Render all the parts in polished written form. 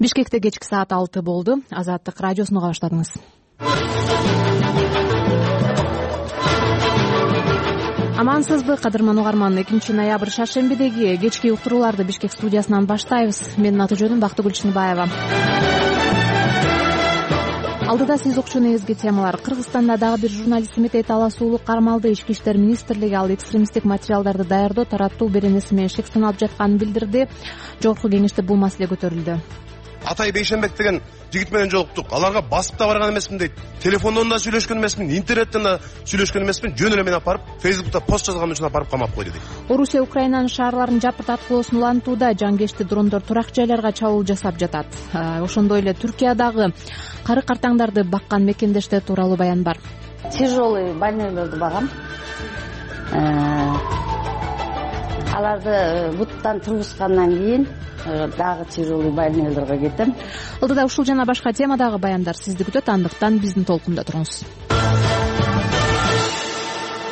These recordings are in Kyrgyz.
Бишкекте кечки саат 6 болду. Азаттык радиосуну уга баштадыңыз. Амансызбы, кадырман угарман. 2-ноябрь шаршембидеги кечки уктурууларды Бишкек студиясынан баштайбыз. Менин аты жөнүм Бактыгүл Чыныбаева. Алдыда сиз укчу негизги темалар. Кыргызстанда дагы бир журналист Метей Таласуулу кармалды. Ички иштер министрлиги ал экстремисттик материалдарды даярдоо, тараттоо беренеси менен шек сыналып жатканын билдирди. Жогорку кеңеште бул маселе көтөрүлдү. Атай Бейшенбек деген жигит менен жолуктук. Аларга басып да барган эмесмин дейт. Телефондон да сүйлөшкөн эмесмин, интернеттен да сүйлөшкөн эмесмин. Жөн эле мен апарып Facebook'та пост жазган үчүн апарып камап койду дейт. Орусия Украинанын шаарларын жапырт аткылоосун улантууда. Жангечти дрондор турак жайларга чабуул жасап жатат. Ошондой эле Түркиядагы кары картаңдарды баккан мекендештер тууралуу баян бар. Тяжелый больнойлорду багам. Аларды буттан тургузгандан кийин дагы тяжелый больнойлорго кетем. Алдыда ушул жана башка темадагы баяндар сизди күтөт, андыктан биздин толкунда туруңуз.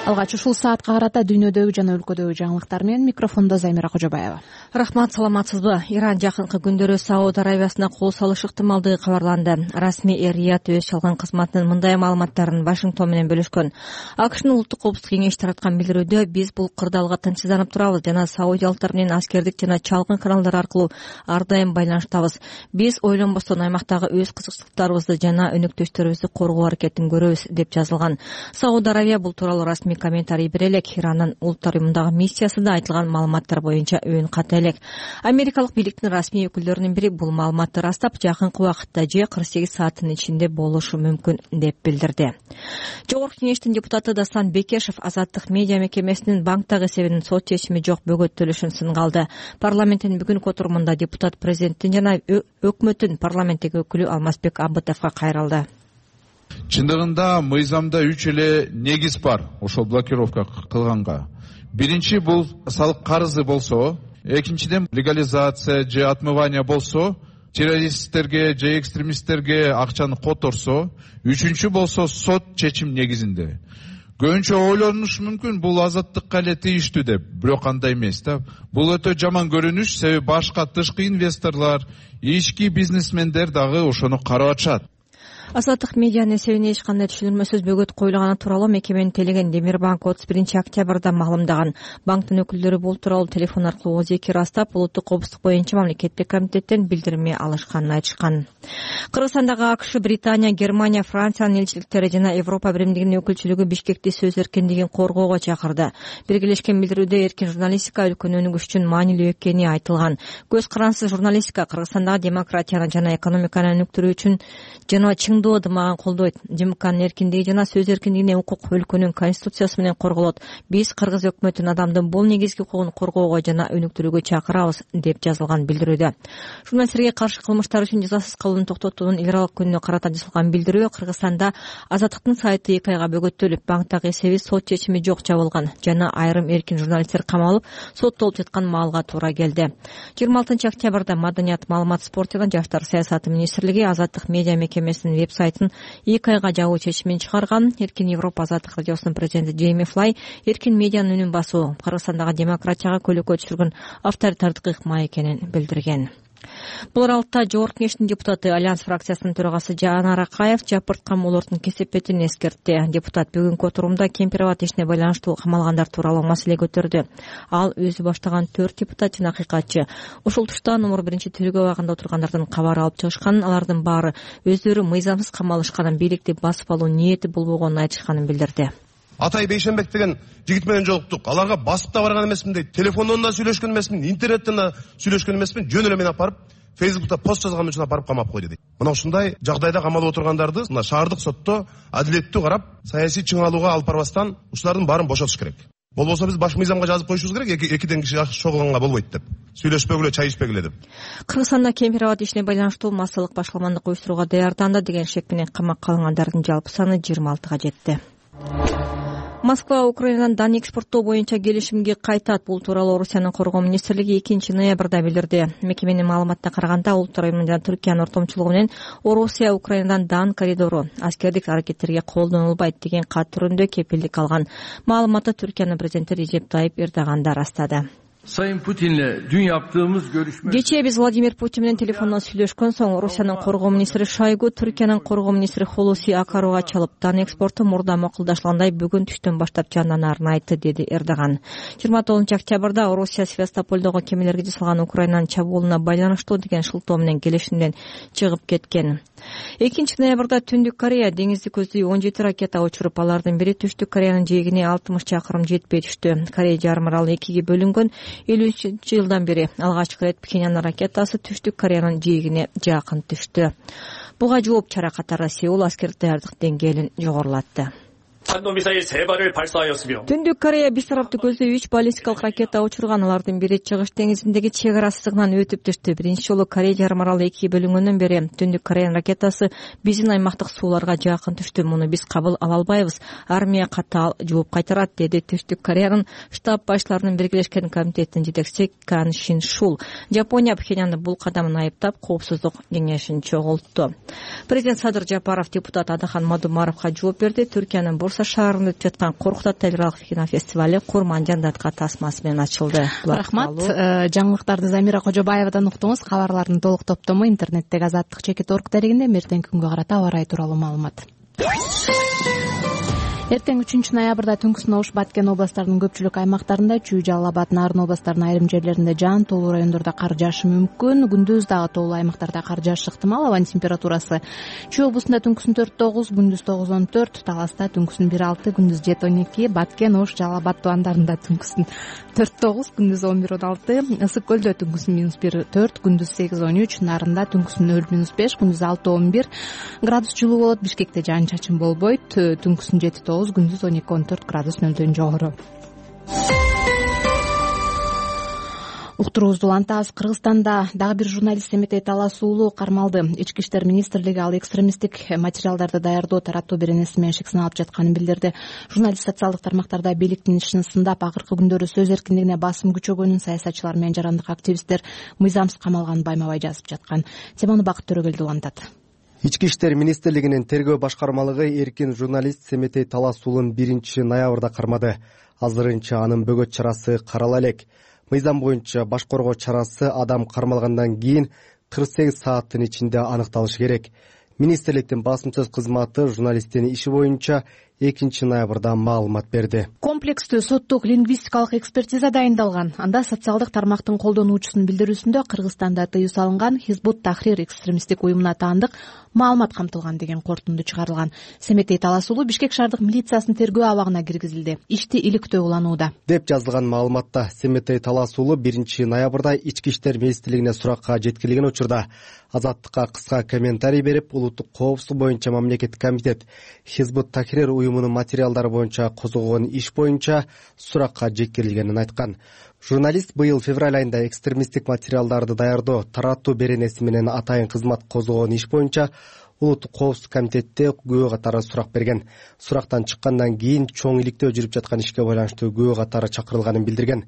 Алгач ушул саатка карата дүйнөдөгү жана өлкөдөгү жаңылыктар менен микрофондо Замира Кожобаева. Рахмат, саламатсызбы? Иран жакынкы күндөрү Сауд Аравиясына кол салыш ыктымалдыгы кабарланды. Расмий Эр-Рияд өз чалган кызматынын мындай маалыматтарын Вашингтон менен бөлүшкөн. АКШнын улуттук коопсуздук кеңеши тараткан билдирүүдө биз бул кырдаалга тынчсызданып турабыз жана саудиялыктар менен аскердик жана чалгын каналдар аркылуу ар дайым байланыштабыз. Биз ойлонбостон аймактагы өз кызыкчылыктарыбызды жана өнөктөштөрүбүздү коргоо аракетин көрөбүз, деп жазылган. Сауд Аравия бул тууралуу расмий комментарий бере элек. Иранын улуттар уюмундагы миссиясында айтылган маалыматтар боюнча өн ката элек. Америкалык бийликтин расмий өкүлдөрүнүн бири бул маалыматты растап, жакынкы убакытта же 48 сааттын ичинде болушу мүмкүн деп билдирди. Жогорку кеңештин депутаты Дастан Бекешев Азаттык медиа мекемесинин банктагы эсебинин сот чечими жок бөгөттөлүшүн сынга алды. Парламенттин бүгүнкү отурумунда депутат президенттин жана өкмөттүн парламенттеги өкүлү Алмазбек Аббытовго кайрылды. Чындыгында мыйзамда 3 эле негиз бар ошол блокировка кылганга. Биринчи бул салык карызы болсо, экинчиден легализация же отмывание болсо, террористтерге же экстремисттерге акчаны которсо, үчүнчү болсо сот чечим негизинде. Көбүнчө ойлонушу мүмкүн бул азаттыкка эле тийиштүү деп, бирок андай эмес да. Бул өтө жаман көрүнүш, себеби башка тышкы инвесторлор, ички бизнесмендер дагы ошону карап атышат. Азаттык медианын эсебине эч кандай түшүнүлмөсүз бөгөт коюлганы тууралуу мекеменин телеген Демирбанк 31-октябрда маалымдаган. Банктын өкүлдөрү бул тууралуу телефон аркылуу ооз эки ырастап, улуттук коопсуздук боюнча мамлекеттик комитеттен билдирме алышканын айтышкан. Кыргызстандагы АКШ, Британия, Германия, Франциянын элчиликтери жана Европа биримдигинин өкүлчүлүгү Бишкекти сөз эркиндигин коргоого чакырды. Биргелешкен билдирүүдө эркин журналистика өлкөнүн өнүгүшү үчүн маанилүү экени айтылган. Көз карансыз журналистика Кыргызстандагы демократияны жана экономиканы өнүктүрүү үчүн жана ындымаган колдойт. ЖМКнын эркиндиги жана сөз эркиндигине укук өлкөнүн конституциясы менен корголот. Биз кыргыз өкмөтүн адамдын бул негизги укугун коргоого жана өнүктүрүүгө чакырабыз, деп жазылган билдирүүдө. Журналисттерге каршы кылмыштар үчүн жазасыз калууну токтотуунун эл аралык күнүнө карата жасалган билдирүү Кыргызстанда Азаттыктын сайты 2 айга бөгөттөлүп, банктагы эсеби сот чечими жок жабылган жана айрым эркин журналисттер камалып, соттолуп жаткан маалга туура келди. 26-октябрда Маданият, маалымат, спорт жана жаштар саясаты министрлиги Азаттык медиа мекемесинин веб-сайтын 2 айга жабуу чечимин чыгарган. Эркин Европа Азаттык радиосунун президенти Джейми Флай эркин медианын үнүн басуу Кыргызстандагы демократияга көйгөй түшүргөн авторитардык ыкма экенин билдирген. Бул аралыкта Жогорку кеңештин депутаты Альянс фракциясынын төрагасы Жанар Акаев жапырт камоолордун кесепетин эскертти. Депутат бүгүнкү отурумда Кемпир-Абад ишине байланыштуу камалгандар тууралуу маселе көтөрдү. Ал өзү баштаган 4 депутат жана акыйкатчы ушул тушта номер 1 тергөө абагында отургандардын кабар алып чыгышканын, алардын баары өздөрү мыйзамсыз камалышканын, бийликти басып алуу ниети болбогонун айтышканын билдирди. Атай Бейшенбек деген жигит менен жолуктук. Аларга басып да барган эмесмин дейт. Телефондон да сүйлөшкөн эмесмин, интернеттен да сүйлөшкөн эмесмин. Жөн эле мен апарып Facebook'та пост жазган үчүн апарып камап койду дейт. Мына ушундай жагдайда камалып отургандарды мына шаардык сотто адилеттүү карап, саясий чыңалууга алып барбастан ушулардын баарын бошотуш керек. Болбосо биз баш мыйзамга жазып коюшубуз керек, экиден киши чогулганга болбойт деп. Сүйлөшпөгүлө, чай ичпегиле деп. Кыргызстанда Кемпир-Абад ишине байланыштуу массалык башаламандык уюштурууга даярданды деген шек менен камакка алынгандардын жалпы саны 26-га жетти. Москва Украинадан дан экспорттоо боюнча келишимге кайтат. Бул тууралуу Орусиянын коргоо министрлиги 2-ноябрда билдирди. Мекеменин маалыматына караганда, улуттар уюму жана Түркиянын ортомчулугу менен Орусия Украинадан дан коридору аскердик аракеттерге колдонулбайт деген кат түрүндө кепилдик алган. Маалыматты Түркиянын президенти Режеп Тайип Эрдоган да ырастады. Sayın Putin'le dün yaptığımız görüşme... Кечээ биз Владимир Путин менен телефондон сүйлөшкөн соң Орусиянын коргоо министри Шойгу Түркиянын коргоо министри Хулуси Акаруга чалып, тан экспорту мурда макулдашылгандай бүгүн түштөн баштап жандanaарын айтты, деди Эрдоган. 29 октябрда Орусия Севастополдогу кемелерге жасалган Украинанын чабуулуна байланыштуу деген шылтоо менен келишимден чыгып кеткен. 2 ноябрда Түндүк Корея деңизди көздөй 17 ракета учуруп, алардын бири Түштүк Кореянын жээгине 60 чакырым жетпей түштү. Корея жарым аралы экиге бөлүнгөн. 50-жылдан бери алгачкы ирет Пхеньян ракетасы Түштүк Кореянын жээгине жакын түштү. Буга жооп чара катары Сеул аскердик даярдык деңгээлин жогорулатты. Түндүк Корея биз тараптуу көздөй 3 баллистикалык ракета учурган. Алардын бири Чыгыш деңизиндеги чек ара сызыгынан өтүп түштү. Биринчи жолу Корея жарым аралы экиге бөлүнгөндөн бери Түндүк Кореянын ракетасы биздин аймактык сууларга жакын түштү. Муну биз кабыл ала албайбыз. Армия катаал жооп кайтарат, деди Түштүк Кореянын штаб башчыларынын биргелешкен комитетинин жетекчиси Кан Шин Шул. Жапония Пхеньянды бул кадамын айыптап, коопсуздук кеңешин чогултту. Президент Садыр Жапаров депутат Адахан Мадумаровго жооп берди. Түркиянын Бурса шаарында өтүп жаткан Коркут аталык кинофестивали Курман жандатка тасмасы менен ачылды. Рахмат. Жаңылыктарды Замира Кожобаевадан уктуңуз. Кабарлардын толук топтому интернеттеги Азаттык.org дарегинде. Эртеңки күнгө карата аба ырайы тууралуу маалымат. Эртең 3 ноябрда түнкүсүн Ош, Баткен областарынын көпчүлүк аймактарында, Чүй, Жалал Абад, Нарын областарынын айрым жерлеринде жаан, тоолуу райондордо кар жаашы мүмкүн. Күндүз дагы тоолуу аймактарда кар жаашы ыктымал. Абанын температурасы Чүй облусунда түнкүсүн 4-9, күндүз 9-14, Таласта түнкүсүн 1-6, күндүз 7-12, Баткен, Ош, Жалал Абад тубандарында түнкүсүн 4-9, күндүз 11-16, Ысык көлдө түнкүсүн -1-4, күндүз 8-13, Нарында түнкүсүн 0-5, күндүз 6-11 градус жылуу болот. Бишкекте жаан чачын болбойт, түнкүсүн 7-9, күндүз 12-14 градус нөлдөн жогору. Уктуруубузду улантабыз. Кыргызстанда дагы бир журналист Семетей Талас уулу кармалды. Ички иштер министрлиги ал экстремисттик материалдарды даярдоо, тараттоо беренеси менен шек сыналып жатканын билдирди. Журналист социалдык тармактарда бийликтин ишин сындап, акыркы күндөрү сөз эркиндигине басым күчөгөнүн, саясатчылар менен жарандык активисттер мыйзамсыз камалганын байма-бай жазып жаткан. Теманы Бакыт Төрөгелди улантат. Ички иштер министрлигинин тергөө башкармалыгы эркин журналист Семетей Талас уулун 1 ноябрда кармады. Азырынча анын бөгөт чарасы карала элек. Мыйзам боюнча баш коргоо чарасы адам кармалгандан кийин 48 сааттын ичинде аныкталышы керек. Министрликтин басым сөз кызматы журналисттин иши боюнча 2 ноябрда маалымат берди. Комплекстүү соттук лингвистикалык экспертиза дайындалган. Анда социалдык тармактын колдонуучусунун билдирүүсүндө Кыргызстанда тыюу салынган Хизбут Тахрир экстремисттик уюмуна таандык маалымат камтылган деген кортунду чыгарылган. Семетей Талас уулу Бишкек шаардык милициясынын тергөө абагына киргизилди. Ишти иликтөө уланууда, деп жазылган маалыматта. Семетей Талас уулу 1 ноябрда Ички иштер министрлигине суракка жеткирилген учурда Азаттыкка кыска комментарий берип, улуттук коопсуздук боюнча мамлекеттик комитет Хизбут Тахрир уюмунун материалдары боюнча козгогон иш боюнча суракка жеткирилгенин айткан. Журналист быйыл февраль айында экстремисттик материалдарды даярдоо, тараттоо беренеси менен атайын кызмат козгогон иш боюнча улуттук коопсуздук комитетте күбө катары сурак берген. Сурактан чыккандан кийин чоң иликтөө жүрүп жаткан ишке байланыштуу күбө катары чакырылганын билдирген.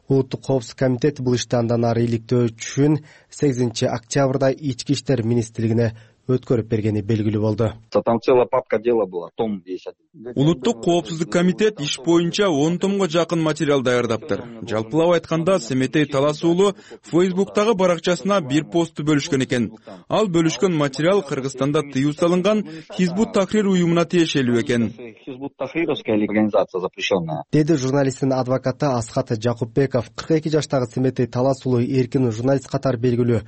Улуттук коопсуздук комитет бул ишти андан ары иликтөө үчүн 8 октябрда Ички иштер министрлигине өткөрүп бергени белгилүү болду. Там целая папка дела была, том 10. Улуттук коопсуздук комитет иш боюнча 10 томго жакын материал даярдаптыр. Жалпылап айтканда, Семетей Талас уулу Фейсбуктагы баракчасына бир постту бөлүшкөн экен. Ал бөлүшкөн материал Кыргызстанда тыюу салынган Хизбут Тахрир уюмуна тиешелүү экен. Хизбут Тахрировская организация запрещенная, деди журналисттин адвокаты Асхат Жакупбеков. 42 жаштагы Семетей Талас уулу эркин журналист катары белгилүү.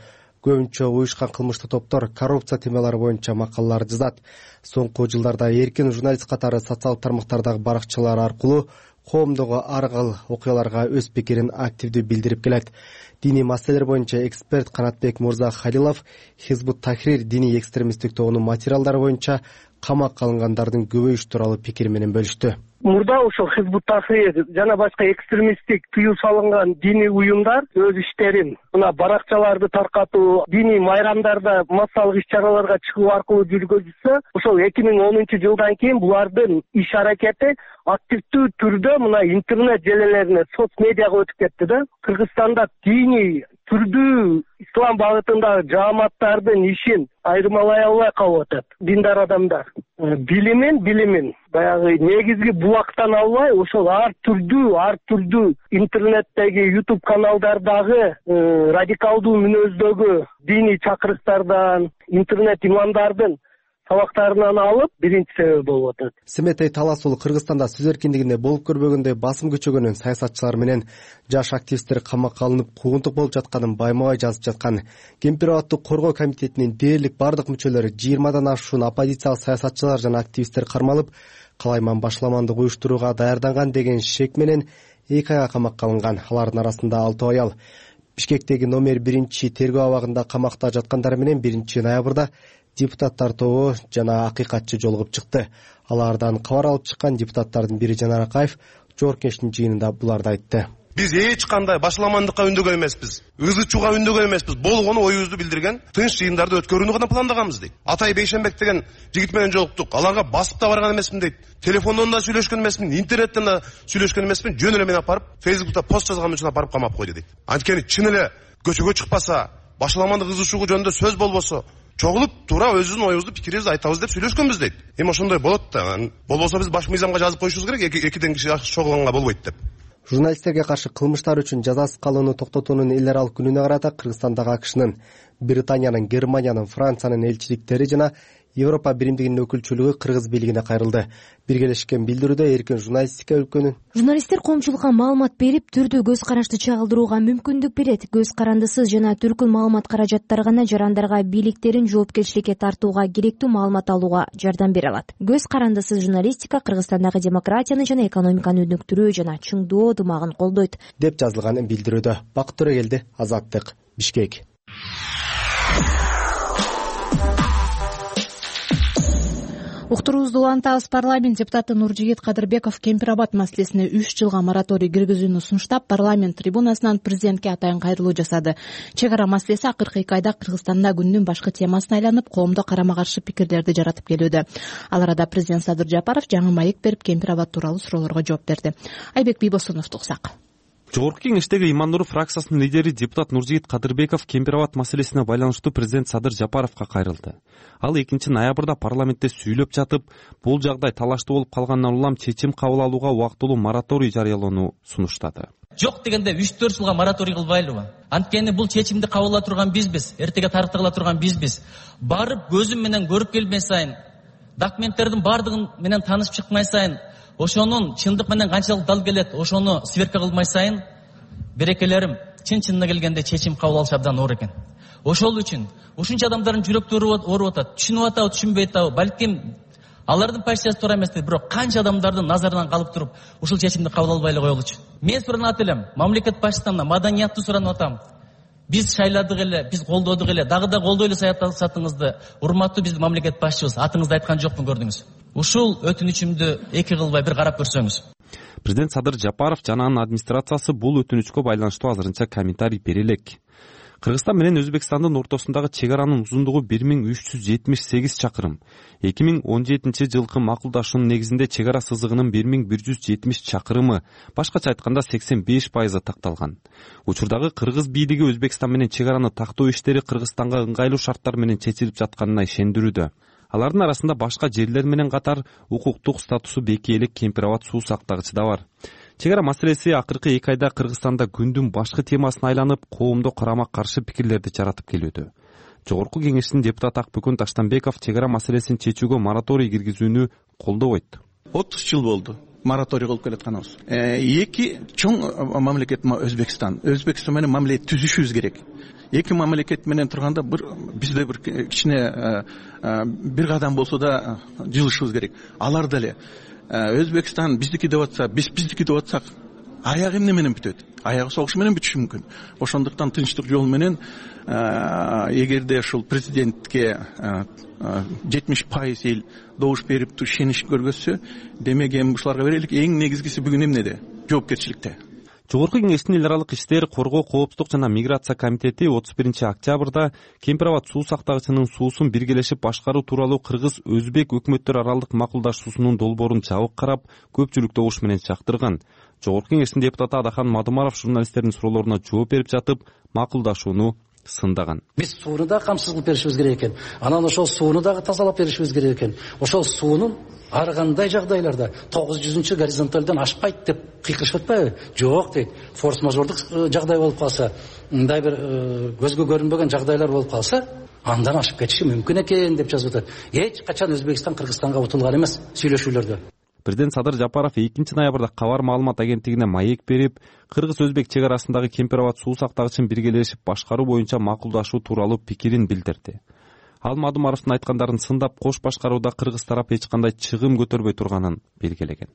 Көбүнчө уюшкан кылмыштуу топтор коррупция темалары боюнча макалалар жазат. Соңку жылдарда эркин журналист катары социалдык тармактардагы баракчалар аркылуу коомдогу ар кыл окуяларга өз пикирин активдүү билдирип келет. Диний маселелер боюнча эксперт Канатбек Мурза Халилов Хизбут Тахрир диний экстремисттик тобунун материалдары боюнча камакка алынгандардын көбөйүшү тууралуу пикир менен бөлүштү. Мурда ошол Хизбут Тахрир жана башка экстремисттик тыюу салынган диний уюмдар өз иштерин мына баракчаларды таркатуу, диний майрамдарда массалык иш-чараларга чыгуу аркылуу жүргүзүлсө, ошол 2010 жылдан кийин булардын иш аракети активдүү түрдө мына интернет желелерине, соц медиага өтүп кетти да. Кыргызстанда диний түрдүү ислам багытындагы жааматтардын ишин айырмалай албай калып атат диндар адамдар. билимин баягы негизги булактан албай ошол ар түрдүү интернеттеги YouTube каналдардагы радикалдуу мүнөздөгү диний чакырыктардан, интернет имамдардын сабактарынан алып биринчи себеп болуп атат. Семетей Таласуулу Кыргызстанда сөз эркиндигине болуп көрбөгөндөй басым күчөгөнүн, саясатчылар менен жаш активисттер камакка алынып куугунтук болуп жатканын байма-бай жазып жаткан Кемпир абадты коргоо комитетинин дээрлик бардык мүчөлөрү 20дан ашуун оппозициялык саясатчылар жана активисттер кармалып, калайман башламандык уюштурууга даярданган деген шек менен 2 айга камакка алынган. Алардын арасында 6 аял. Бишкектеги номер 1 тергөө абагында камакта жаткандар менен 1 ноябрда депутаттар тобу жана акыйкатчы жолугуп чыкты. Алардан кабар алып чыккан депутаттардын бири Жанар Акаев жогорку кеңештин жыйынында буларды айтты. Биз эч кандай башламандыкка үндөгөн эмеспиз, ызы чууга үндөгөн эмеспиз. Болгону оюбузду билдирген тынч жыйындарды өткөрүүнү гана пландаганбыз дейт. Атай Бейшенбек деген жигит менен жолуктук. Аларга басып да барган эмесмин дейт. Телефондон да сүйлөшкөн эмесмин, интернеттен да сүйлөшкөн эмесмин. Жөн эле мени апарып Фейсбукта пост жазган үчүн апарып камап койду дейт. Анткени чын эле көчөгө чыкпаса, башламандык ызы чуу жөнүндө сөз болбосо, чогулуп туура өзүбүздүн оюбузду, пикирибизди айтабыз деп сүйлөшкөнбүз дейт. Эми ошондой болот да. Болбосо биз баш мыйзамга жазып коюшубуз керек, экиден киши чогулганга болбойт деп. Журналисттерге каршы кылмыштар үчүн жазасыз калууну токтотуунун эл аралык күнүнө карата Кыргызстандагы АКШнын, Британиянын, Германиянын, Франциянын элчиликтери жана Европа биримдигинин өкүлчүлүгү кыргыз бийлигине кайрылды. Биргелешкен билдирүүдө эркин журналистика өлкөнүн журналисттер коомчулукка маалымат берип, түрдүү көз карашты чагылдырууга мүмкүндүк берет. Көз карандысыз жана түркүн маалымат каражаттары гана жарандарга бийликтерин жоопкерчиликке тартууга керектүү маалымат алууга жардам бере алат. Көз карандысыз журналистика Кыргызстандагы демократияны жана экономиканы өнүктүрүү жана чыңдоо ынтымагын колдойт, деп жазылган билдирүүдө. Бакыт Төрөгелди, Азаттык, Бишкек. Уктуруубузду улантабыз. Парламент депутаты Нуржигит Кадырбеков Кемпир абад маселесине 3 жылга мораторий киргизүүнү сунуштап, парламент трибунасынан президентке атайын кайрылуу жасады. Чек ара маселеси акыркы 2 айда Кыргызстанда күндүн башкы темасына айланып, коомдо карама-каршы пикирлерди жаратып келүүдө. Ал арада президент Садыр Жапаров жаңы маек берип, Кемпир абад тууралуу суроолорго жооп берди. Айбек Бийбосуновду уксак. Жогорку кеңештеги Имандуров фракциясынын лидери депутат Нуржигит Кадырбеков Кемпир абад маселесине байланыштуу президент Садыр Жапаровго кайрылды. Ал 2 ноябрда парламентте сүйлөп жатып, бул жагдай талаштуу болуп калгандан улам чечим кабыл алууга убактылуу мораторий жарыялоону сунуштады. Жок дегенде 3-4 жылга мораторий кылбайлыбы? Анткени бул чечимди кабыл ала турган бизбиз, эртеге тарыхта кыла турган бизбиз. Барып көзүм менен көрүп келмей сайын, документтердин бардыгын менен таанышып чыкмай сайын, ошонун чындык менен канчалык дал келет, ошону сверка кылмай сайын, берекелерим чын-чынына келгенде чечим кабыл алыш абдан оор экен. Ошол үчүн ушунча адамдардын жүрөктөрү ооруп атат, түшүнүп атабы, түшүнбөй атабы, балким алардын позициясы туура эмес, бирок канча адамдардын назарынан калып туруп, ушул чечимди кабыл албай эле коелучу. Мен суранат элем, мамлекет башчысынан маданиятты суранып атам. Биз шайладык эле, биз колдодук эле, дагы да колдой эле саясатыңызды, урматтуу биздин мамлекет башчыбыз, атыңызды айткан жокмун, көрдүңүз. Ушул өтүнүчүмдү эки кылбай бир карап көрсөңүз. Президент Садыр Жапаров жана анын администрациясы бул өтүнүчкө байланыштуу азырынча комментарий бере элек. Кыргызстан менен Өзбекстандын ортосундагы чек аранын узундугу 1378 чакырым. 2017 жылкы макулдашуунун негизинде чек ара сызыгынын 1170 чакырымы, башкача айтканда 85% такталган. Учурдагы кыргыз бийлиги Өзбекстан менен чек араны тактоо иштери Кыргызстанга ыңгайлуу шарттар менен чечилип жатканына ишендирүүдө. Алардын арасында башка жерлер менен катар укуктук статусу бекей элек Кемпир абад суу сактагычы да бар. Чек ара маселеси акыркы 2 айда Кыргызстанда күндүн башкы темасына айланып, коомдо карама-каршы пикирлерди жаратып келүүдө. Жогорку кеңештин депутаты Акбүкөн Таштанбеков чек ара маселесин чечүүгө мораторий киргизүүнү колдобойт. 30 жыл болду мораторий кылып келатканыбыз. Эки чоң мамлекет Өзбекстан менен мамиле түзүшүбүз керек. Эки мамлекет менен турганда бизде бир кичине бир кадам болсо да жылышыбыз керек. Алар деле Өзбекстан биздики деп атса, биздики деп атсак, аягы эмне менен бүтөт? Аягы согуш менен бүтүшү мүмкүн. Ошондуктан тынчтык жол менен эгерде ушул президентке 70% эл добуш берип ишенич көргөзсө, демек эми ушуларга берелик. Эң негизгиси бүгүн эмнеде? Жоопкерчиликте. Жогорку кеңештин эл аралык иштер, коргоо, коопсуздук жана миграция комитети 31 октябрда Кемпир абад суу сактагычынын суусун биргелешип башкаруу тууралуу кыргыз-өзбек өкмөттөр аралык макулдашуусунун долбоорун жабык карап, көпчүлүк добуш менен чактырган. Жогорку кеңештин депутаты Адахан Мадумаров журналисттердин суроолоруна жооп берип жатып, макулдашууну сындаган. Биз сууну да камсыз кылып беришибиз керек экен. Анан ошол сууну дагы тазалап беришибиз керек экен. Ошол суунун ар кандай жагдайларда 900 горизонталдан ашпайт деп кыйкырышып атпайбы? Жок дейт. Форс-мажордук жагдай болуп калса, мындай бир көзгө көрүнбөгөн жагдайлар болуп калса, андан ашып кетиши мүмкүн экен деп жазып атат. Эч качан Өзбекстан Кыргызстанга утулган эмес сүйлөшүүлөрдө. Президент Садыр Жапаров 2-ноябрда кабар маалымат агенттигине маек берип, кыргыз-өзбек чек арасындагы Кемпир-Абад суу сактагычын биргелешип башкаруу боюнча макулдашуу тууралуу пикирин билдирди. Ал Мадумаровдун айткандарын сындап, кош башкарууда кыргыз тарап эч кандай чыгым көтөрбөй турганын белгилеген.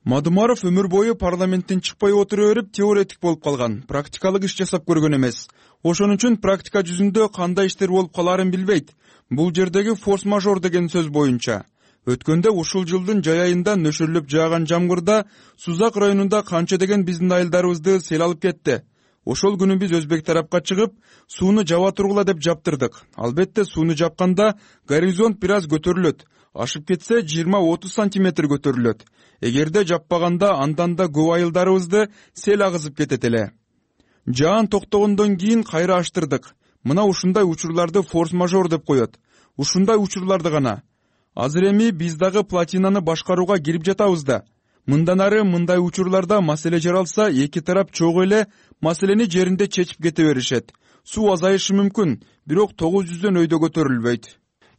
Мадумаров өмүр бою парламенттен чыкпай отура берип теоретик болуп калган, практикалык иш жасап көргөн эмес. Ошон үчүн практика жүзүндө кандай иштер болуп каларын билбейт. Бул жердеги форс-мажор деген сөз боюнча өткөндө ушул жылдын жай айында нөшөрлөп жааган жамгырда Сузак районунда канча деген биздин айылдарыбызды сел алып кетти. Ошол күнү биз өзбек тарапка чыгып, сууну жаба тургула деп жаптырдык. Албетте сууну жапканда горизонт бир аз көтөрүлөт. Ашып кетсе 20-30 сантиметр көтөрүлөт. Эгерде жаппаганда андан да көп айылдарыбызды сел агызып кетет эле. Жаан токтогондон кийин кайра аштырдык. Мына ушундай учурларды форс-мажор деп коет. Ушундай учурларды гана. Азыр эми биз дагы плотинаны башкарууга кирип жатабыз да. Мындан ары мындай учурларда маселе жаралса, эки тарап чогуу эле маселени жеринде чечип кете беришет. Суу азайышы мүмкүн, бирок 900дөн өйдө көтөрүлбөйт.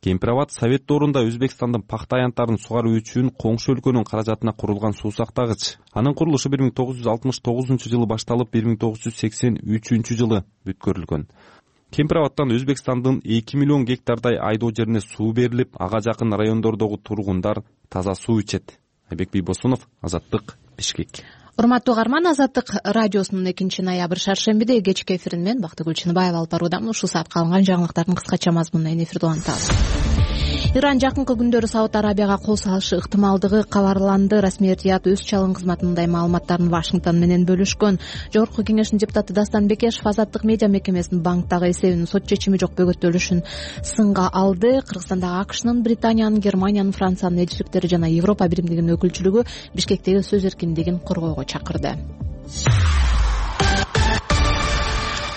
Кемпир-Абад Совет доорунда Өзбекстандын пахта аянттарын сугаруу үчүн коңшу өлкөнүн каражатына курулган суу сактагыч. Анын курулушу 1969-жылы башталып, 1983-жылы бүткөрүлгөн. Кемпир-Абадтан Өзбекстандын 2 миллион гектардай айдоо жерине суу берилип, ага жакын райондордогу тургундар таза суу ичет. Айбек Бийбосунов, Азаттык, Бишкек. Урматтуу угарман, Азаттык радиосунун 2-ноябрь шаршембиде кечки эфирин мен Бактыгүл Чыныбаева алып баруудамын. Ушул саатка алынган жаңылыктардын кыскача мазмунун эфирде улантабыз. Иран жакынкы күндөрү Сауд Арабияга кол салышы ыктымалдыгы кабарланды. Расмий Эртият өз чалым кызматындай маалыматтарын Вашингтон менен бөлүшкөн. Жогорку кеңештин депутаты Дастан Бекешев Азаттык медиа мекемесинин банктагы эсебинин сот чечими жок бөгөттөлүшүн сынга алды. Кыргызстандагы АКШнын, Британиянын, Германиянын, Франциянын элчиликтери жана Европа биримдигинин өкүлчүлүгү Бишкектеги сөз эркиндигин коргоого чакырды.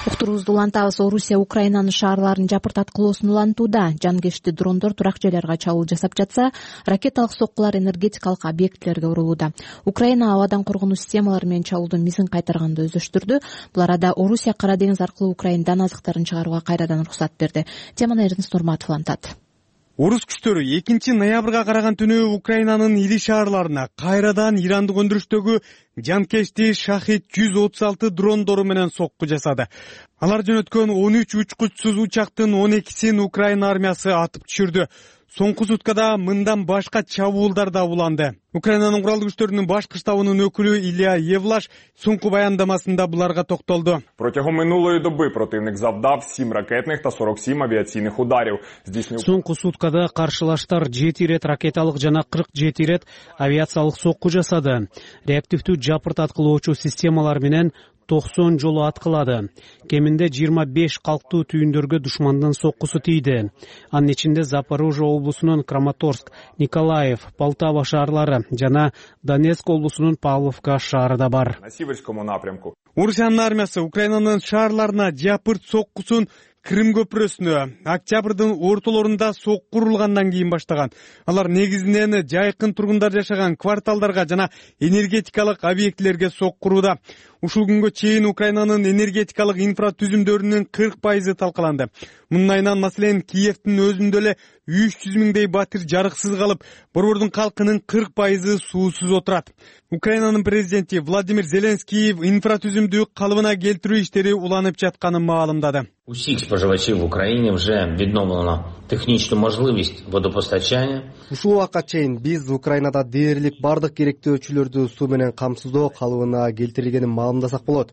Уктуруубузду улантабыз. Орусия Украинанын шаарларын жапыртаткылоосун улантууда. Жанкечти дрондор турак жайларга чабуул жасап жатса, ракеталык соккулар энергетикалык объектилерге урулууда. Украина абадан коргонуу системалары менен чабуулдун мизин кайтарганды өздөштүрдү. Бул арада Орусия Кара деңиз аркылуу Украинадан азыктарын чыгарууга кайрадан уруксат берди. Теманы Эрнест Нурматов улантат. Орус күчтөрү 2-ноябрга караган түнү Украинанын ири шаарларына кайрадан ирандык өндүрүштөгү жанкечти Шахид 136 дрондору менен сокку жасады. Алар жөнөткөн 13 учкучсуз учактын 12син Украина армиясы атып түшүрдү. Соңку суткада мындан башка чабуулдар да уланды. Украинанын куралдуу күчтөрүнүн башкы штабынын өкүлү Илья Евлаш соңку баяндамасында буларга токтолду. Протягом минулої доби противник завдав 7 ракетних та 47 авіаційних ударів. Соңку суткада каршылаштар 7 ирет ракеталык жана 47 ирет авиациялык сокку жасады. Реактивдүү жапыртаткылоочу системалар менен 90 жолу аткылады. Кеминде 25 калктуу түйүндөргө душмандын соккусу тийди. Анын ичинде Запорожье облусунун Краматорск, Николаев, Полтава шаарлары жана Донецк облусунун Павловка шаары да бар. На северскому напрямку. Орусиянын армиясы Украинанын шаарларына жапырт соккусун Крым көпүрөсүнө октябрдын ортолорунда сокку урулгандан кийин баштаган. Алар негизинен жайкын тургундар жашаган кварталдарга жана энергетикалык объектилерге сокку урууда. Ушул күнгө чейин Украинанын энергетикалык инфратүзүмдөрүнүн 40% талкаланды. Мунун айынан маселен Киевдин өзүндө эле 300 миңдей батир жарыксыз калып, борбордун калкынын 40% суусуз отурат. Украинанын президенти Владимир Зеленский инфратүзүмдү калыбына келтирүү иштери уланып жатканын маалымдады. Усіх споживачів в Україні вже відновлено технічну можливість водопостачання. Ушул убакка чейин биз Украинада дээрлик бардык керектөөчүлөрдү суу менен камсыздоо калыбына келтирилгенин маалымдасак болот.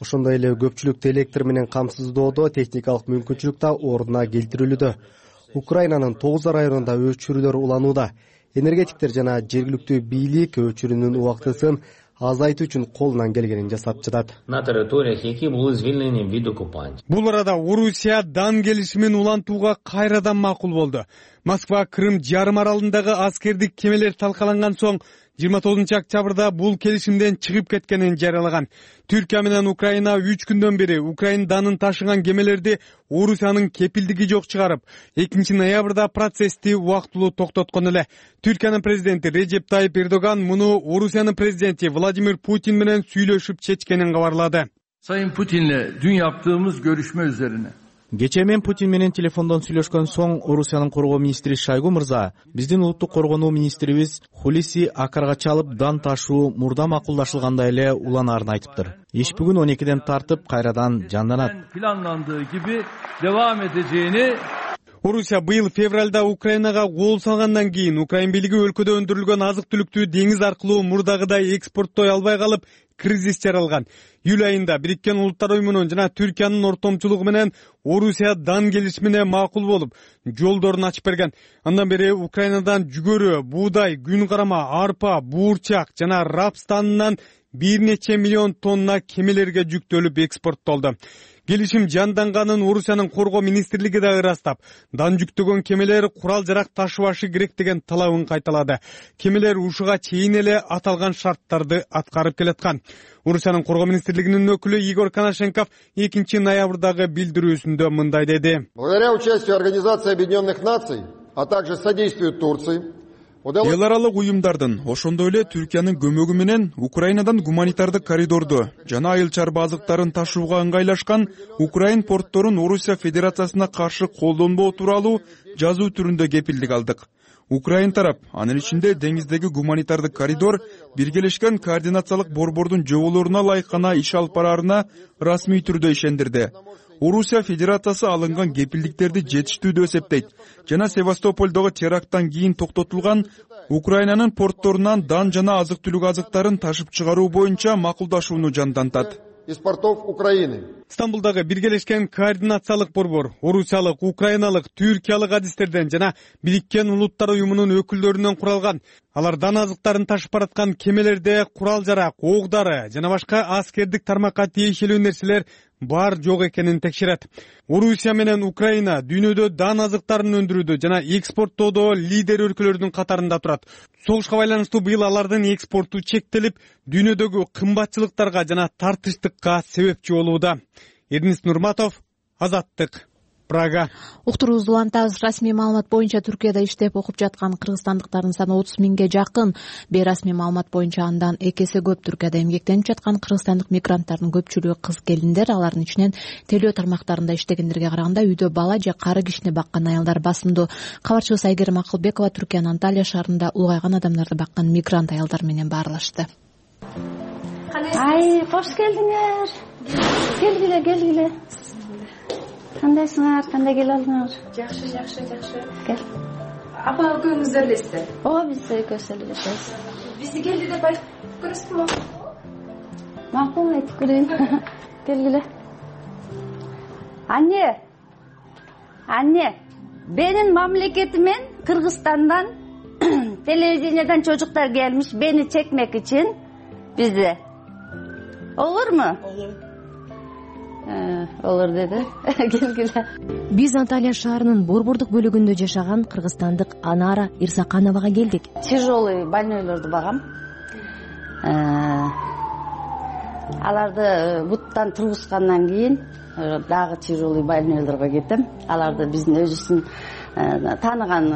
Ошондой эле көпчүлүктү электр менен камсыздоодо техникалык мүмкүнчүлүк да ордуна келтирилүүдө. Украинанын 9 районунда өчүрүүлөр уланууда. Энергетиктер жана жергиликтүү бийлик өчүрүүнүн убактысын азайтуу үчүн колунан келгенин жасап жатат. На териториях, які були звільнені від окупантів. Бул арада Орусия дан келишимин улантууга кайрадан макул болду. Москва Крым жарым аралындагы аскердик кемелер талкаланган соң 29-октябрда бул келишимден чыгып кеткенин жарыялаган. Түркия менен Украина 3 күндөн бери Украина данын ташыган кемелерди Орусиянын кепилдиги жок чыгарып, 2-ноябрда процессти убактылуу токтоткон эле. Түркиянын президенти Режеп Тайип Эрдоган муну Орусиянын президенти Владимир Путин менен сүйлөшүп чечкенин кабарлады. Sayın Putin'le dün yaptığımız görüşme üzerine Кечээ мен Путин менен телефондон сүйлөшкөн соң Орусиянын коргоо министри Шойгу мырза, биздин улуттук коргонуу министрибиз Хулиси Акарга чалып дан ташуу мурда макулдашылгандай эле уланаарын айтыптыр. Иш бүгүн 12ден тартып кайрадан жанданат. planlandığı gibi devam edeceğini Орусия быйыл февралда Украинага кол салгандан кийин Украин бийлиги өлкөдө өндүрүлгөн азык-түлүктү деңиз аркылуу мурдагыдай экспорттой албай калып, кризис жаралган. Июль айында Бириккен Улуттар уюмунун жана Түркиянын ортомчулугу менен Орусия дан келишимине макул болуп, жолдорун ачып берген. Андан бери Украинадан жүгөрү, буудай, күн карама, арпа, буурчак жана рапс станынан бир нече миллион тонна кемелерге жүктөлүп экспорттолду. Келишим жанданганын Орусиянын коргоо министрлиги да ырастап, дан жүктөгөн кемелер курал-жарак ташыбашы керек деген талабын кайталады. Кемелер ушуга чейин эле аталган шарттарды аткарып келаткан. Орусиянын коргоо министрлигинин өкүлү Игорь Коношенков 2-ноябрдагы билдирүүсүндө мындай деди. Благодаря участию Организации Объединенных Наций, а также содействию Турции, эл аралык уюмдардын, ошондой эле Түркиянын көмөгү менен Украинадан гуманитардык коридорду жана айыл чарба азыктарын ташууга ыңгайлашкан Украин портторун Орусия Федерациясына каршы колдонбоо тууралуу жазуу түрүндө кепилдик алдык. Украин тарап, анын ичинде деңиздеги гуманитардык коридор биргелешкен координациялык борбордун жоболоруна ылайык гана иш алып бараарына расмий түрдө ишендирди. Орусия Федерациясы алынган кепилдиктерди жетиштүү деп эсептейт жана Севастополдогу теракттан кийин токтотулган Украинанын портторунан дан жана азык-түлүк азыктарын ташып чыгаруу боюнча макулдашууну жандантат. Из портов Украины. Стамбулдагы биргелешкен координациялык борбор орусиялык, украиналык, түркиялык адистерден жана Бириккен Улуттар уюмунун өкүлдөрүнөн куралган. Алар дан азыктарын ташып бараткан кемелерде курал-жарак, ок-дары жана башка аскердик тармакка тиешелүү нерселер бар жок экенин текшерет. Орусия менен Украина дүйнөдө дан азыктарын өндүрүүдө жана экспорттоодо лидер өлкөлөрдүн катарында турат. Согушка байланыштуу быйыл алардын экспорту чектелип, дүйнөдөгү кымбатчылыктарга жана тартыштыкка себепчи болууда. Эрнис Нурматов, Азаттык, Прага. Уктуруубузду улантабыз. Расмий маалымат боюнча Түркияда иштеп окуп жаткан кыргызстандыктардын саны 30 миңге жакын. Бейрасмий маалымат боюнча андан 2 эсе көп. Түркияда эмгектенип жаткан кыргызстандык мигранттардын көпчүлүгү кыз келиндер. Алардын ичинен телөө тармактарында иштегендерге караганда үйдө бала же кары кишини баккан аялдар басымдуу. Кабарчыбыз Айгерим Акылбекова Түркиянын Анталия шаарында улгайган адамдарды баккан мигрант аялдар менен баарлашты. Ай, кош келдиңер. Келгиле. Кандайсыңар? Кандай келе алдыңар? Жакшы. Кел. Апа экөөңүздөр элесиздер? Ооба, биз экөөбүз эле жашайбыз. Бизди келди деп айтып көрөсүзбү? Макул, айтып көрөйүн. Келгиле. Анне. Менин мамлекетимен Кыргызстандан телевидениядан чожуктар келmiş beni çekmek için bizde. Olur mu? Olur dedi. Келгиле. Биз Анталия шаарынын борбордук бөлүгүндө жашаган кыргызстандык Анара Ирсакановага келдик. Тяжелый больнойлорду багам. Аларды буттан тургузгандан кийин дагы тяжелый больнойлорго кетем. Аларды биздин өзүбүздүн тааныган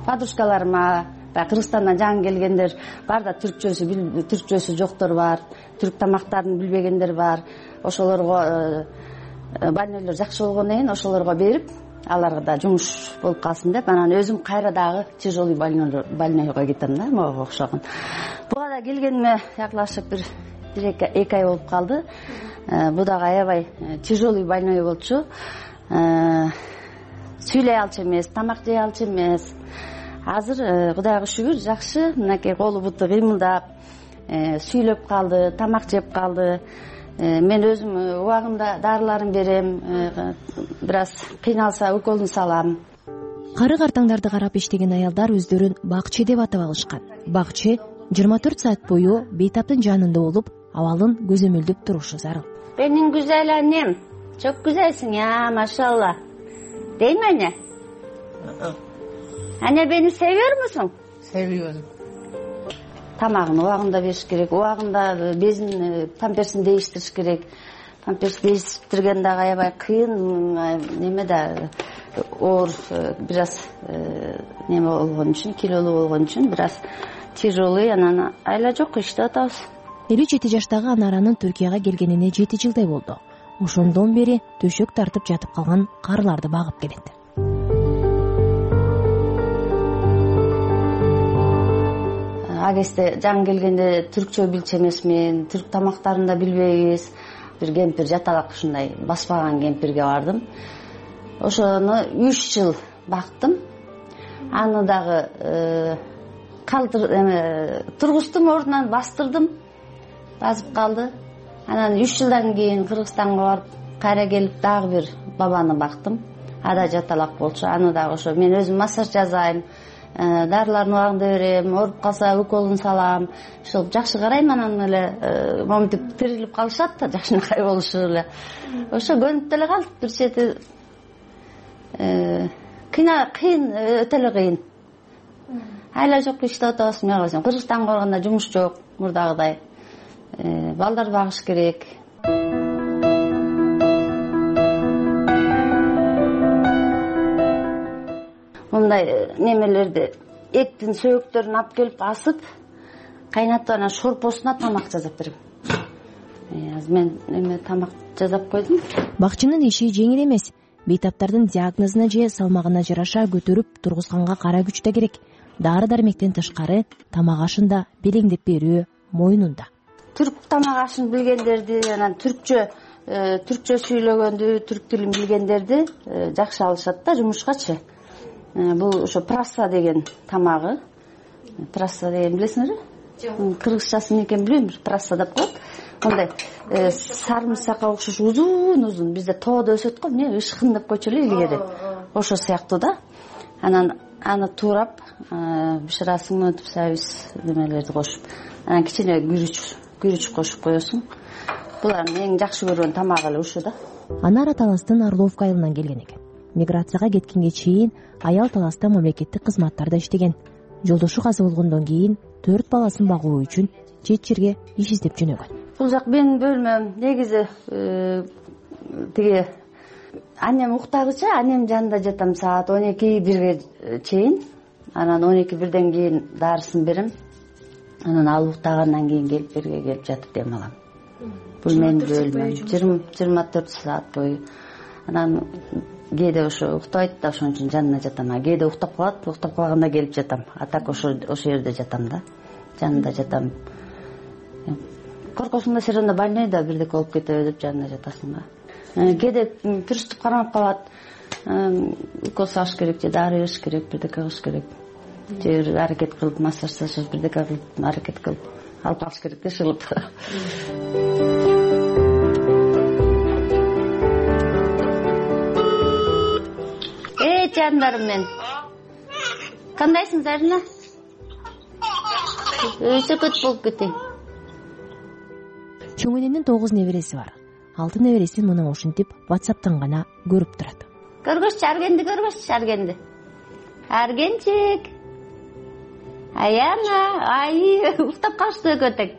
подружкаларыма, Кыргызстандан жаңы келгендер бар да түркчөсү жоктор бар, түрк тамактарын билбегендер бар. Ошолорго больнойлор жакшы болгондон кийин ошолорго берип, аларга да жумуш болуп калсын деп, анан өзүм кайра дагы тяжелый больнойго кетем да, мага окшогон. Буга да келгениме якlaşык бир 2 ай болуп калды. Бу дагы аябай тяжелый больной болчу. Сүйлөй алчу эмес, тамак жей алчу эмес. Азыр Кудайга шүгүр жакшы, мынакей колу буту кыймылдап, сүйлөп калды, тамак жеп калды. Мен өзүм убагында дарыларын берем, бир аз кыйналса уколун салам. Кары картаңдарды карап иштеген аялдар өздөрүн бакчы деп атап алышкан. Бакчы 24 саат бою бейтаптын жанында болуп, абалын көзөмөлдөп турушу зарыл. Benim güzel annem, çok güzelsin ya maşallah. Değil mi anne? Anne beni seviyor musun? Seviyorum. тамагын убагында бериш керек, убагында безин, памперсин değişтириш керек. Памперс değiştirген дагы аябай кыйын, неме да оор, бир аз неме болгон үчүн, килолуу болгон үчүн бир аз тяжелый, анан айла жок, иштеп атабыз. 57 жаштагы Анаранын Түркияга келгенине 7 жылдай болду. Ошондон бери төшөк тартып жатып калган карыларды багып келет. Агесте жаңы келгенде түркчө билчү эмесмин, түрк тамактарын да билбейбиз. Бир кемпир жаталак ушундай баспаган кемпирге бардым. Ошону 3 жыл бактым. Аны дагы тургуздум, ордунан бастырдым. Басып калды. Анан 3 жылдан кийин Кыргызстанга барып, кайра келип дагы бир бабаны бактым. Ада жаталак болчу. Аны дагы ошо мен өзүм массаж жасайм, дарыларын убагында берем, ооруп калса уколун салам. Ошол жакшы карайм, анан эле моментип тирилип калышат да, жакшынакай болушу эле. Ошо көнүп деле калдык. Бир чети кыйын, өтө эле кыйын. Айла жок, иштеп атабыз. Мен кылсам, Кыргызстанга барганда жумуш жок, мурдагыдай. Балдар багыш керек. Мындай немелерди, эттин сөөктөрүн алып келип асып, кайнатып анан шорпосуна тамак жасап берем. Мен эме тамак жасап койдум. Бакчынын иши жеңил эмес. Бейтаптардын диагнозуна же салмагына жараша көтөрүп тургузганга кара күч да керек. Дары дармектен тышкары тамак ашын да белеңдеп берүү мойнунда. Түрк тамак ашын билгендерди, анан түркчө сүйлөгөндү, түрк тилин билгендерди жакшы алышат да жумушкачы. Бул ошо праса деген тамагы. Праса деген билесиңерби? Жок. Кыргызчасын экен билбейм, праса деп коет. Мындай сарымсакка окшош узун, бизде тоодо өсөт го, эмне ышкын деп койчу эле илгери. Ошо сыяктуу да. Анан аны туурап, бышырасың, өтүп сабиз немелерди кошуп, анан кичине күрүч кошуп коесуң. Булардын эң жакшы көргөн тамагы эле ушу да. Анара Таластын Орловка айылынан келген экен. Миграцияга кеткенге чейин аял Таласта мамлекеттик кызматтарда иштеген. Жолдошу каза болгондон кийин 4 баласын багуу үчүн чет жерге иш издеп жөнөгөн. Бул жак менин бөлмөм. Негизи тиги анем уктагыча, анем жанында жатам саат 12-1ге чейин. Анан 12-1ден кийин дарысын берем. Анан ал уктагандан кийин келип берге келип жатып дем алам. Бул менин бөлмөм. 24 саат бою. Анан кээде ошо уктабайт да, ошон үчүн жанына жатам. Кээде уктап калат, уктап калганда келип жатам. А так ошо жерде жатам да. Жанында жатам. Коркосуң да сен анда больныйда бирдеке болуп кетеби деп жанына жатасың да. Кээде приступ кармап калат. Укол салыш керек же дары бериш керек, бирдеке кылыш керек. Же бир аракет кылып массаж жасап, бирдеке кылып аракет кылып алып калыш керек да шылып. Жандарым мен. Кандайсың Зарина? Өсө көт болуп кетең. Чоң эненин 9 небереси бар. 6 небересин мына ушинтип WhatsApp'тан гана көрүп турат. Көргөччү, Аргенди. Аргенчик. Аяна, ай, уктап калышты экөөтең.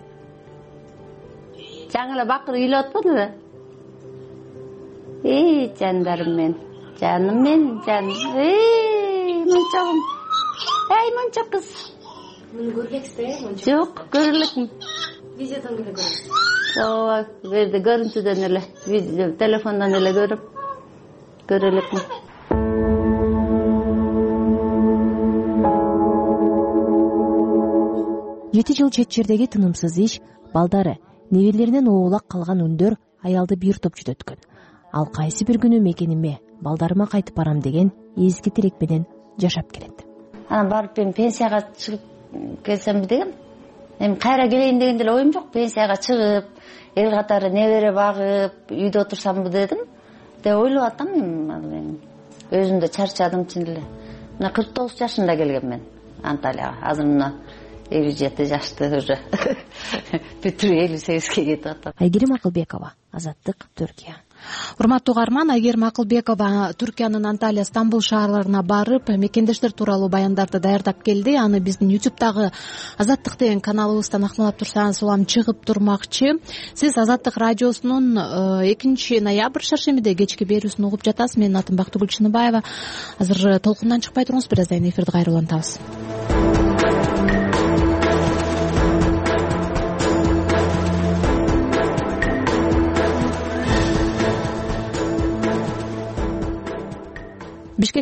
Жаңы эле бакыр үйлөп атпадыбы? Жандарым мен. Жаным мен, жаным. Мончогум. Мончо кыз. Муну көрбөксүз, мончо. Жок, көрө элекмин. Видеодон эле көрөм. Ооба, берди көрүнтүдөн эле, видео, телефондон эле көрө элекмин. Жети жыл чет жердеги тынымсыз иш, балдары, неберелеринен оолак калган үндөр аялды бир топ жүдөткөн. Ал кайсы бир күнү мекениме, балдарыма кайтып барам деген эзги тилек менен жашап келет. Анан барып мен пенсияга чыгып келсемби дегем. Эми кайра келейин деген деле оюм жок. Пенсияга чыгып, эл катары небере багып, үйдө отурсамбы дедим. Деп ойлоп атам мен. Өзүм да чарчадым чын эле. Мына 49 жашында келгем мен Анталияга. Азыр мына 57 жашты уже. Бүтүрүп 58ге кетип атам. Айгерим Акылбекова, Азаттык, Түркия. урматтуу угарман, Айгерим Акылбекова Түркиянын Анталия, Стамбул шаарларына барып мекендештер тууралуу баяндарды даярдап келди. Аны биздин YouTube'дагы Азаттык деген каналыбыздан акмалап турсаңыз, улам чыгып турмакчы. Сиз Азаттык радиосунун 2 ноябрь шаршембиде кечки берүүсүн угуп жатасыз. Менин атым Бактыгүл Чыныбаева. Азыр толкундан чыкпай туруңуз, бир аздан эфирди кайра улантабыз.